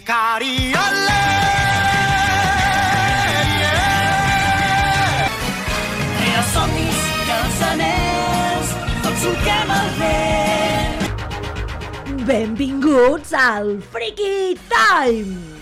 Cariole! Tria somnis, cançoners, tots solquem el vent. Benvinguts al Freaky Time!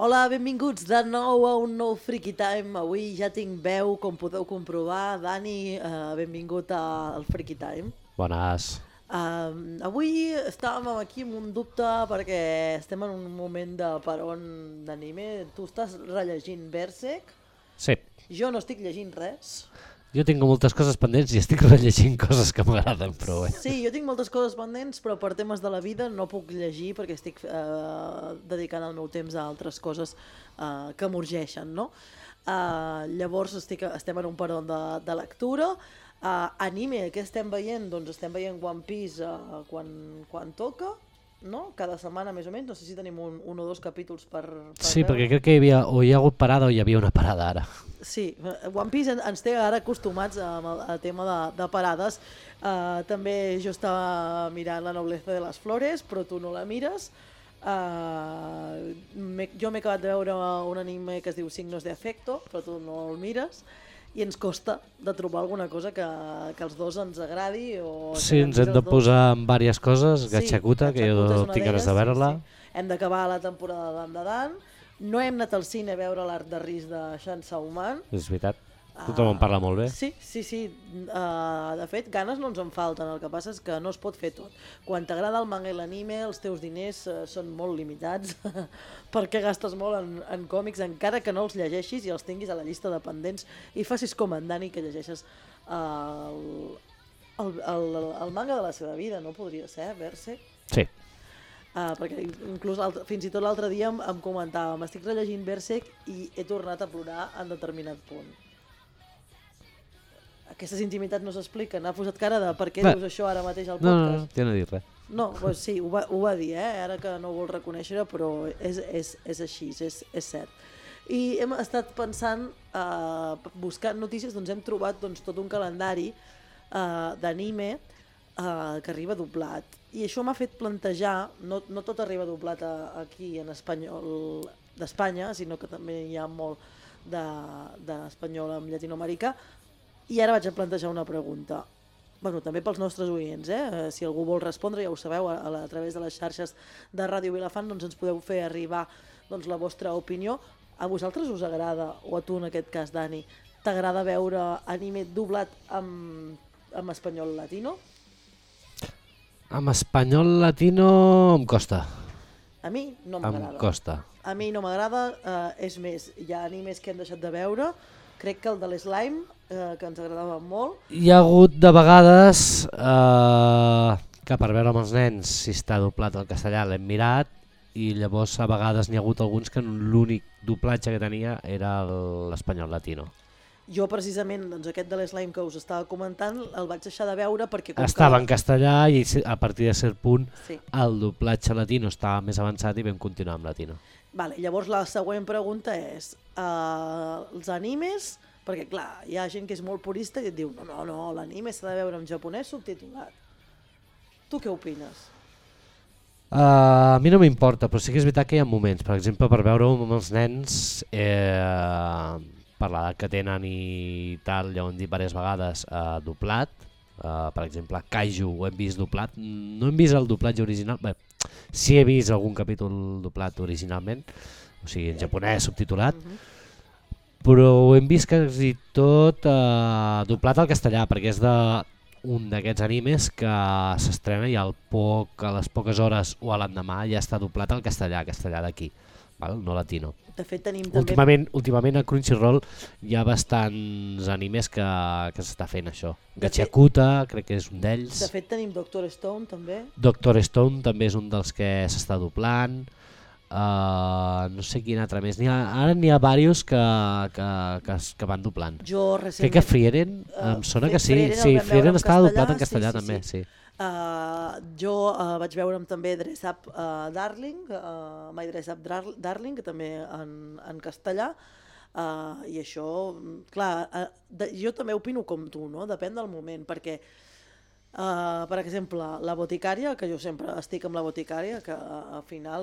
Hola, benvinguts de nou a un nou Freaky Time. Avui ja tinc veu, com podeu comprovar. Dani, benvingut al Freaky Time. Bones. Avui estàvem aquí amb un dubte perquè estem en un moment de peron d'anime. Tu estàs rellegint Berserk? Sí. Jo no estic llegint res. Jo tinc moltes coses pendents i estic rellegint coses que m'agraden prou. Sí, jo tinc moltes coses pendents, però per temes de la vida no puc llegir perquè estic dedicant el meu temps a altres coses que m'urgeixen, no? Llavors estem en un peron de lectura. Anime, què estem veient? Doncs estem veient One Piece quan toca, no? Cada setmana més o menys, no sé si tenim un o dos capítols per Sí, veure. perquè crec que hi ha hagut parada o hi havia una parada ara. Sí, One Piece ens té ara acostumats al tema de parades. També jo estava mirant La nobleza de les flores, però tu no la mires. Jo m'he acabat de veure un anime que es diu Signos de Afecto, però tu no el mires. I ens costa de trobar alguna cosa que els dos ens agradi. Sí, ens hem de posar en diverses coses. Gatchakuta, que jo tinc ganes de veure-la. Sí. Hem d'acabar la temporada d'Dan de Dan. No hem anat al cine a veure l'Arc de Risc de Shan Sauman. És veritat. Tothom en parla molt bé. Sí. De fet, ganes no ens en falten, el que passa és que no es pot fer tot. Quan t'agrada el manga i l'anime, els teus diners són molt limitats, perquè gastes molt en còmics, encara que no els llegeixis i els tinguis a la llista de pendents, i facis com en Dani, que llegeixes el manga de la seva vida, no podria ser, Berserk? Sí. Perquè inclús fins i tot l'altre dia em comentava, m'estic rellegint Berserk i he tornat a plorar en determinat punt. Aquestes intimitats no s'expliquen. Ha posat cara de per què dius això ara mateix al podcast. No, t'he de dir res. No, doncs sí, ho va dir, ara que no ho vol reconèixer, però és així, és cert. I hem estat pensant, buscant notícies, doncs hem trobat tot un calendari d'anime que arriba doblat. I això m'ha fet plantejar, no tot arriba doblat aquí en espanyol d'Espanya, sinó que també hi ha molt d'espanyol en llatinoamericà. I ara vaig a plantejar una pregunta. Bueno, també pels nostres oients, si algú vol respondre, ja ho sabeu, a través de les xarxes de Ràdio Vilafant doncs ens podeu fer arribar la vostra opinió. A vosaltres us agrada, o a tu en aquest cas, Dani, t'agrada veure anime doblat amb espanyol latino? Amb espanyol latino em costa. A mi no m'agrada. Em costa. A mi no m'agrada, és més, hi ha animes que hem deixat de veure, crec que el de l'Slime, que ens agradava molt. Hi ha hagut de vegades que per veure amb els nens si està doblat al castellà l'hem mirat i llavors a vegades n'hi ha hagut alguns que l'únic doblatge que tenia era l'espanyol latino. Jo precisament aquest de l'Slime que us estava comentant el vaig deixar de veure perquè... Estava en castellà i a partir de cert punt sí, el doblatge latino estava més avançat i vam continuar amb latino. Vale, llavors la següent pregunta és, els animes, perquè clar, hi ha gent que és molt purista i et diu no, l'anime s'ha de veure en japonès subtitulat. Tu què opines? A mi no m'importa, però sí que és veritat que hi ha moments, per exemple, per veure-ho amb els nens, per l'edat que tenen i tal, ja ho hem dit diverses vegades, doblat. Per exemple, Kaiju ho hem vist doblat, no hem vist el doblatge original, bé, sí he vist algun capítol doblat originalment, o sigui en japonès subtitulat, però ho hem vist quasi tot doblat al castellà, perquè és un d'aquests animes que s'estrena i a les poques hores o a l'endemà ja està doblat al castellà d'aquí, no latino. De fet tenim també... Últimament a Crunchyroll hi ha bastants animes que s'està fent això. Gatchakuta crec que és un d'ells. De fet tenim Doctor Stone també. Doctor Stone també és un dels que s'està doblant. No sé quin altre més. Ara n'hi ha diversos que van doblant. Crec que Frieren, em sona que sí. Sí, Frieren estava doblat en castellà també, sí. Jo vaig veure'm també Dress Up Darling, My Dress Up Darling, que també en castellà, i això, clar, jo també opino com tu, no? Depèn del moment, perquè Per exemple, La Boticària, que jo sempre estic amb La Boticària, que al final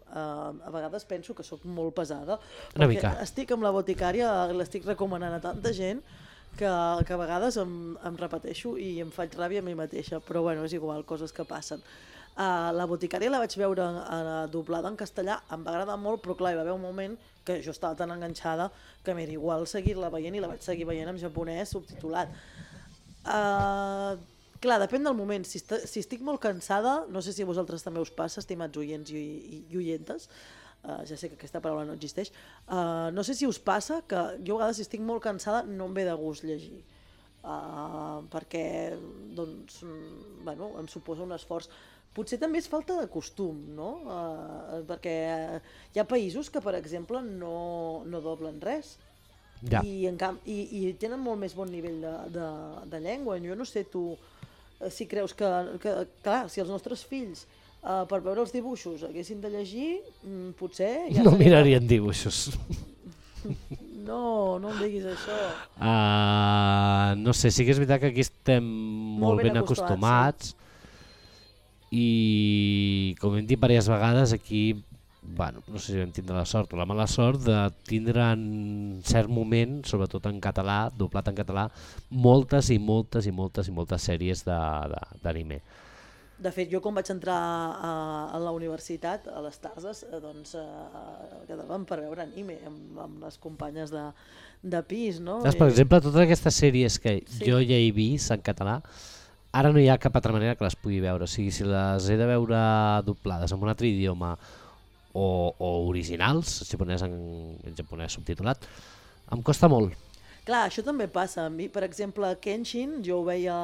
a vegades penso que sóc molt pesada, Una perquè mica. estic amb La Boticària, l'estic recomanant a tanta gent que a vegades em repeteixo i em faig ràbia a mi mateixa, però bueno, és igual, coses que passen. La Boticària la vaig veure doblada en castellà, em va agradar molt, però clar, hi va haver un moment que jo estava tan enganxada que m'era igual seguir-la veient i la vaig seguir veient en japonès subtitulat. Clar, depèn del moment. Si estic molt cansada, no sé si a vosaltres també us passa, estimats oients i oientes, ja sé que aquesta paraula no existeix, no sé si us passa que jo a vegades si estic molt cansada no em ve de gust llegir, perquè doncs, bueno, em suposa un esforç. Potser també és falta de costum, no? Perquè hi ha països que, per exemple, no doblen res. Ja. I tenen molt més bon nivell de llengua. Jo no sé tu si creus que clar, si els nostres fills per veure els dibuixos haguessin de llegir, potser ja No mirarien dibuixos. No em diguis això. No sé, sí que és veritat que aquí estem molt ben acostumats, i com hem dit diverses vegades, aquí bueno, no sé si vam tindre la sort o la mala sort de tindre en cert moment, sobretot en català, doblat en català, moltes sèries d'anime. De fet, jo quan vaig entrar a la universitat, a les tardes, doncs quedàvem per veure anime amb les companyes de pis, no? Per exemple, totes aquestes sèries que jo ja he vist en català, ara no hi ha cap altra manera que les pugui veure. O sigui, si les he de veure doblades en un altre idioma o originals, en japonès subtitulat, em costa molt. Clar, això també passa. A mi, per exemple, Kenshin, jo ho veia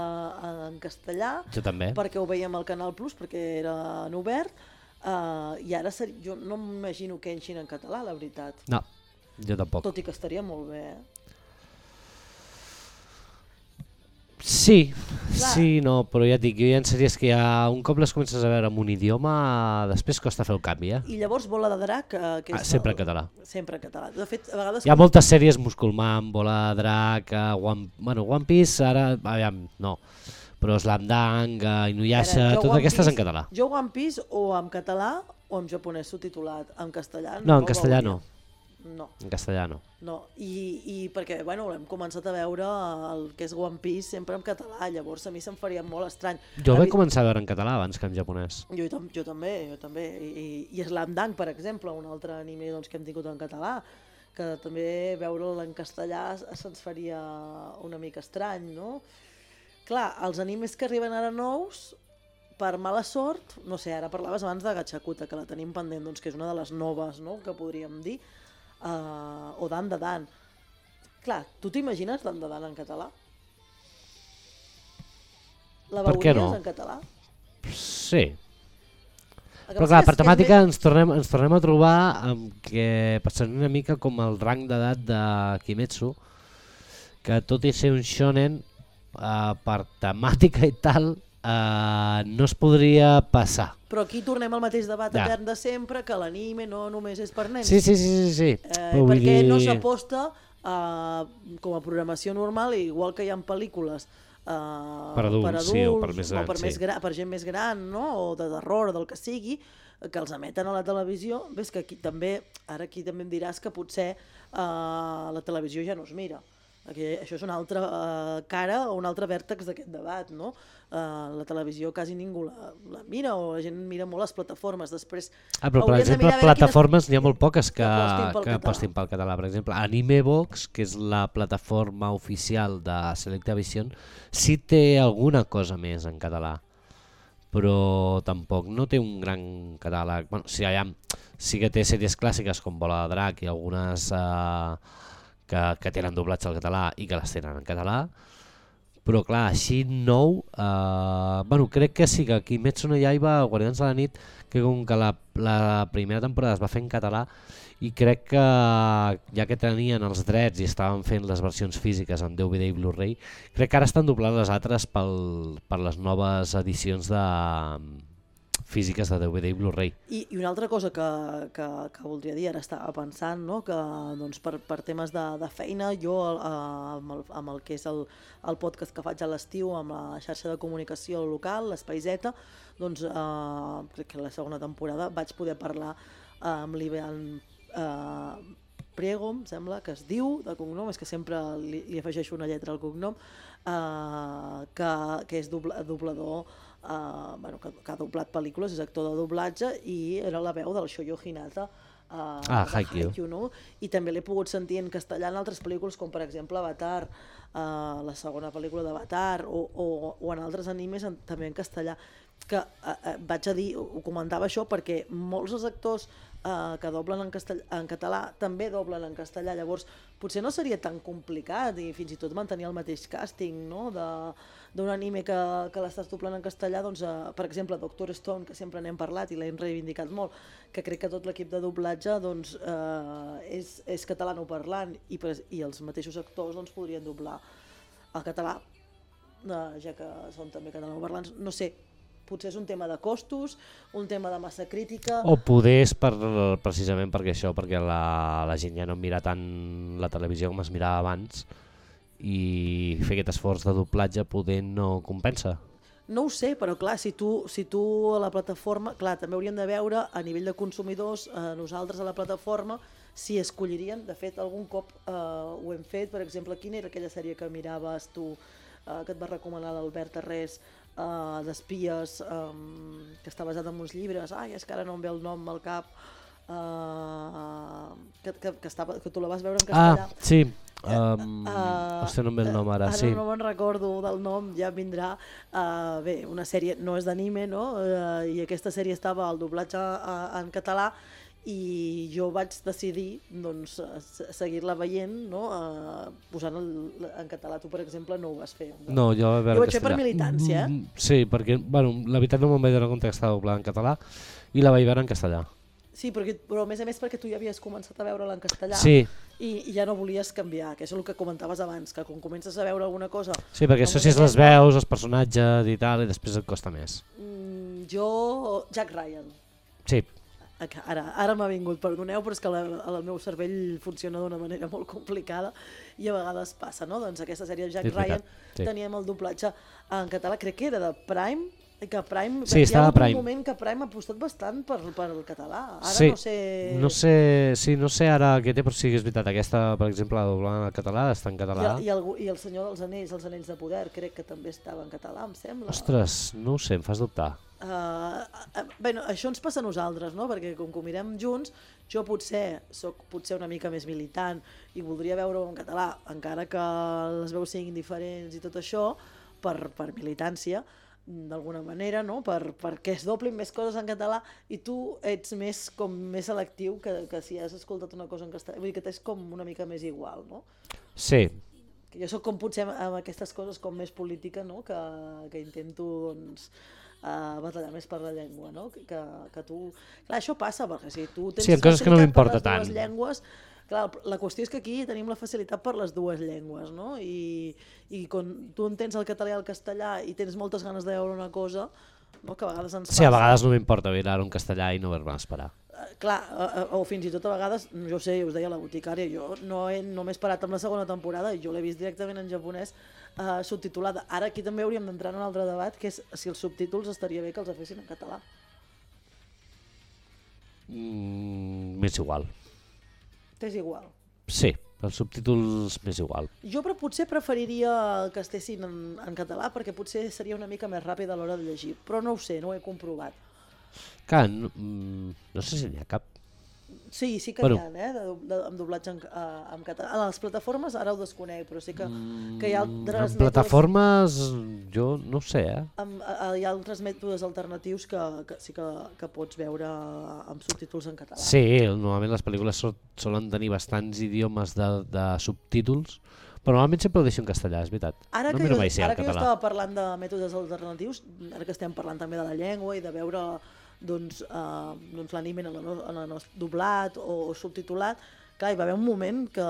en castellà, Jo també. perquè ho veia amb el Canal Plus, perquè era en obert, i ara jo no m'imagino Kenshin en català, la veritat. No, jo tampoc. Tot i que estaria molt bé, Sí, no, però ja et dic, hi ha sèries que un cop les comences a veure en un idioma, després costa fer el canvi, I llavors Bola de Drac, que és sempre en català. Sempre en català. De fet, a vegades... Hi ha moltes sèries, Musculman, Bola de Drac, One Piece, ara, aviam, no, però Slam Dunk, Inuyasha, totes aquestes en català. Jo One Piece o en català o en japonès subtitulat. En castellà no. En castellà no. No. En castellà no. No, i perquè bueno, hem començat a veure el que és One Piece sempre en català, llavors a mi se'm faria molt estrany. Jo vaig començar a veure en català abans que en japonès. Jo també. I Slam Dunk, per exemple, un altre anime doncs, que hem tingut en català, que també veure'l en castellà se'ns faria una mica estrany, no? Clar, els animes que arriben ara nous, per mala sort, no sé, ara parlaves abans de Gachakuta, que la tenim pendent, doncs, que és una de les noves, no?, que podríem dir, o Dan de Dan. Clar, tu t'imagines Dan de Dan en català? La veuries en català? Sí. Però clar, per temàtica ens tornem a trobar amb que passarà una mica com el rang d'edat de Kimetsu, que tot i ser un shonen, per temàtica i tal, no es podria passar. Però aquí tornem al mateix debat etern de sempre, que l'anime no només és per nens. Sí. Perquè no s'aposta com a programació normal, igual que hi ha pel·lícules per adults, sí, o per més grans, per gent més gran, no? O de terror, del que sigui, que els emeten a la televisió. Ves que aquí també, ara aquí també em diràs que potser la televisió ja no es mira. Això és una altra cara o un altre vèrtex d'aquest debat, no? La televisió quasi ningú la mira, o la gent mira molt les plataformes. Després, però per exemple, plataformes n'hi ha molt poques que apostin pel català. Per exemple, Animebox, que és la plataforma oficial de Selecta Vision, sí té alguna cosa més en català, però tampoc no té un gran catàleg. Bueno, sí que té sèries clàssiques com Bola de Drac i algunes que tenen doblatge al català i que les tenen en català, però clar, així nou, crec que sí que Kimetsu no Yaiba, Guardians de la Nit, que com que la primera temporada es va fer en català, i crec que ja que tenien els drets i estaven fent les versions físiques en DVD i Blu-ray, crec que ara estan doblant les altres per les noves edicions físiques de DVD i Blu-ray. I una altra cosa que voldria dir, ara estava pensant, no? Que doncs, per temes de feina, jo amb el que és el podcast que faig a l'estiu, amb la xarxa de comunicació local, l'Espai Z, doncs crec que la segona temporada vaig poder parlar amb l'Ivan Priego, em sembla que es diu, de cognom, és que sempre li afegeixo una lletra al cognom, que és doblador, que ha doblat pel·lícules, és actor de doblatge i era la veu del Shoyo Hinata de Haikyuu, no? I també l'he pogut sentir en castellà en altres pel·lícules, com per exemple Avatar, la segona pel·lícula d'Avatar, o en altres animes també en castellà, que vaig a dir, ho comentava això perquè molts dels actors que doblen en català també doblen en castellà, llavors potser no seria tan complicat i fins i tot mantenir el mateix càsting, no? D'un anime que l'estàs doblant en castellà, doncs, per exemple Doctor Stone, que sempre n'hem parlat i l'hem reivindicat molt, que crec que tot l'equip de doblatge doncs, és catalanoparlant i els mateixos actors doncs, podrien doblar al català, ja que són també catalanoparlants, no sé, potser és un tema de costos, un tema de massa crítica... O poder és precisament perquè la gent ja no mira tant la televisió com es mirava abans i fer aquest esforç de doblatge poder no compensa. No ho sé, però clar, si tu a la plataforma... Clar, també hauríem de veure a nivell de consumidors, nosaltres a la plataforma, si escollirien, de fet algun cop ho hem fet, per exemple, quina era aquella sèrie que miraves tu, que et va recomanar l'Albert Arrés, d'espies, que està basat en uns llibres, és que ara no em ve el nom al cap, que tu la vas veure en castellà. Sí, hòstia, no em ve el nom ara. Ara no me'n recordo del nom, ja vindrà. Bé, una sèrie no és d'anime, no? I aquesta sèrie estava al doblatge en català i jo vaig decidir doncs, seguir-la veient, no? Posant en català. Tu, per exemple, no ho vas fer. No, jo ho vaig fer per militància. Sí, perquè la veritat no me'n vaig donar compte que estava doblada en català i la vaig veure en castellà. Sí, però a més perquè tu ja havies començat a veure-la en castellà i ja no volies canviar, que és el que comentaves abans, que quan comences a veure alguna cosa... Sí, perquè associes les veus, els personatges i tal, i després et costa més. Jack Ryan. Sí. Ara m'ha vingut, perdoneu, però és que el meu cervell funciona d'una manera molt complicada i a vegades passa, no? Doncs aquesta sèrie de Jack Ryan teníem el doblatge en català, crec que era de Prime, que Prime, sí, hi ha un moment que Prime ha apostat bastant per el català. Ara sí, no sé... no sé ara què té, però sí que és veritat. Aquesta, per exemple, la doblada en català, està en català. I el Senyor dels Anells, els Anells de Poder, crec que també estava en català, em sembla. Ostres, no ho sé, em fas dubtar. Bé, això ens passa a nosaltres, no? Perquè com que ho mirem junts, jo soc una mica més militant i voldria veure-ho en català, encara que les veus siguin diferents i tot això, per militància, d'alguna manera, no? Perquè es doblin més coses en català i tu ets més selectiu que si has escoltat una cosa en castellà, vull dir que t'és com una mica més igual, no? Sí. Jo soc com potser amb aquestes coses com més política, no? Que intento doncs batallar més per la llengua, no? Que tu... Clar, això passa, perquè si tu tens coses que no m'importa tant. les dues llengües, clar, la qüestió és que aquí tenim la facilitat per les dues llengües, no? I quan tu entens el català i el castellà i tens moltes ganes de veure una cosa, no? Que a vegades ens passa... Sí, a vegades no m'importa veure-ho en castellà i no haver-me esperar. Clar, o fins i tot a vegades, jo sé, us deia la boticària, jo no m'he esperat amb la segona temporada i jo l'he vist directament en japonès subtitulada. Ara aquí també hauríem d'entrar en un altre debat, que és si els subtítols estaria bé que els fessin en català. M'és igual. T'és igual? Sí, els subtítols m'és igual. Jo potser preferiria que estessin en català perquè potser seria una mica més ràpid a l'hora de llegir, però no ho sé, no ho he comprovat. Clar, no sé si n'hi ha cap. Sí que n'hi ha, amb doblatge en català. A les plataformes ara ho desconec, però sí que hi ha altres mètodes... En plataformes jo no ho sé, Hi ha altres mètodes alternatius que sí que pots veure amb subtítols en català. Sí, normalment les pel·lícules solen tenir bastants idiomes de subtítols, però normalment sempre ho deixo en castellà, és veritat. Ara que jo estava parlant de mètodes alternatius, ara que estem parlant també de la llengua i de veure l'anime doblat o subtitulat, clar, hi va haver un moment que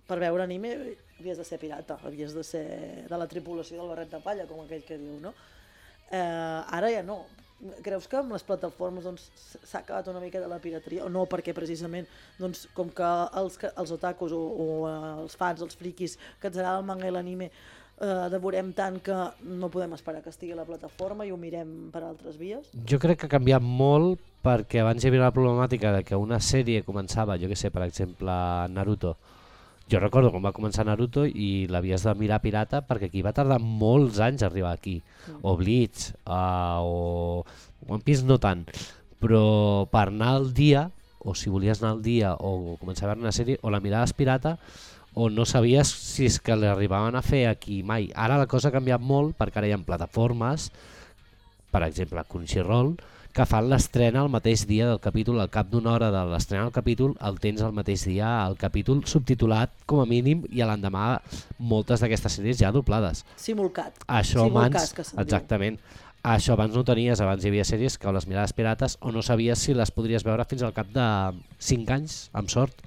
per veure anime havies de ser pirata, havies de ser de la tripulació del barret de palla, com aquell que diu, no? Ara ja no, creus que amb les plataformes doncs, s'ha acabat una mica de la pirateria? O no, perquè precisament doncs, com que els otakus o els fans, els friquis que ens agrada el manga i l'anime devorem tant que no podem esperar que estigui a la plataforma i ho mirem per altres vies? Jo crec que ha canviat molt perquè abans hi havia la problemàtica de que una sèrie començava, jo que sé, per exemple, Naruto. Jo recordo quan va començar Naruto i l'havies de mirar pirata perquè aquí va tardar molts anys a arribar aquí. O Bleach, o One Piece no tant, però per anar al dia, o si volies anar al dia o començar a veure una sèrie, o la miraves pirata o no sabies si és que l'arribaven a fer aquí mai. Ara la cosa ha canviat molt perquè ara hi ha plataformes, per exemple Crunchyroll, que fan l'estrena el mateix dia del capítol, al cap d'una hora de l'estrena del capítol el tens el mateix dia el capítol subtitulat com a mínim i a l'endemà moltes d'aquestes sèries ja doblades. Simulcat. Això abans, que exactament. Això abans no ho tenies, abans hi havia sèries que o les miraves pirates o no sabies si les podries veure fins al cap de 5 anys, amb sort.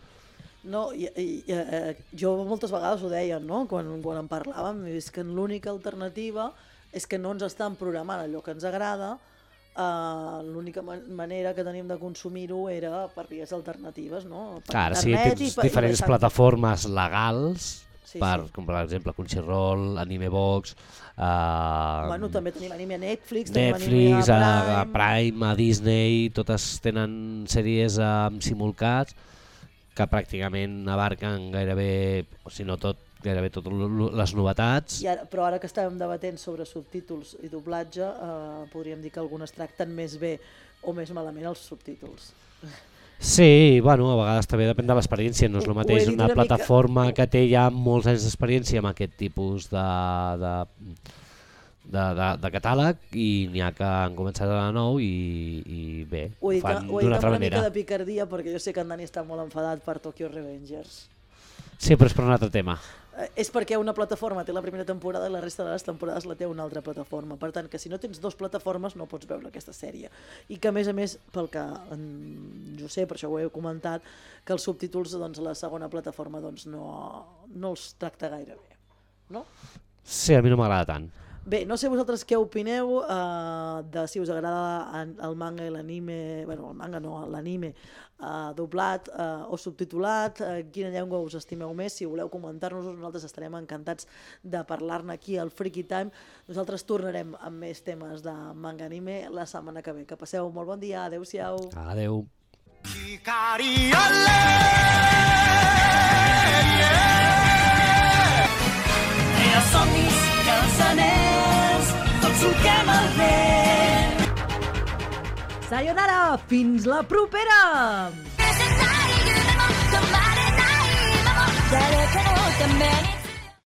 No, jo moltes vegades ho deia, no? Quan en parlàvem, és que l'única alternativa és que no ens estan programant allò que ens agrada. L'única manera que tenim de consumir-ho era per vies alternatives, no? Per Ara sí, tens diferents plataformes legals, com per exemple Crunchyroll, Animebox, també tenim anime a Netflix, a Prime, a Disney, totes tenen sèries amb simulcats que pràcticament abarquen gairebé, o si no tot, gairebé totes les novetats. Però ara que estàvem debatent sobre subtítols i doblatge, podríem dir que algunes tracten més bé o més malament els subtítols. Sí, bueno, a vegades també depèn de l'experiència, no és el mateix una plataforma que té ja molts anys d'experiència amb aquest tipus de catàleg i n'hi ha que han començat a de nou i bé, ho fan d'una altra manera. Ho he dit amb una mica de picardia perquè jo sé que en Dani està molt enfadat per Tokyo Revengers. Sí, però és per un altre tema. És perquè una plataforma té la primera temporada i la resta de les temporades la té una altra plataforma. Per tant, que si no tens dues plataformes no pots veure aquesta sèrie. I que a més, pel que jo sé, per això ho he comentat, que els subtítols doncs, a la segona plataforma doncs, no els tracta gaire bé. No? Sí, a mi no m'agrada tant. Bé, no sé vosaltres què opineu de si us agrada el manga i l'anime, bueno, el manga no, l'anime doblat o subtitulat, quina llengua us estimeu més, si voleu comentar-nos-ho, nosaltres estarem encantats de parlar-ne aquí al Freaky Time. Nosaltres tornarem amb més temes de manga anime la setmana que ve. Que passeu molt bon dia, adeu-siau. Adeu. Somnis i els anells, tots solquem el vent. Sayonara, fins la propera! 誰かのために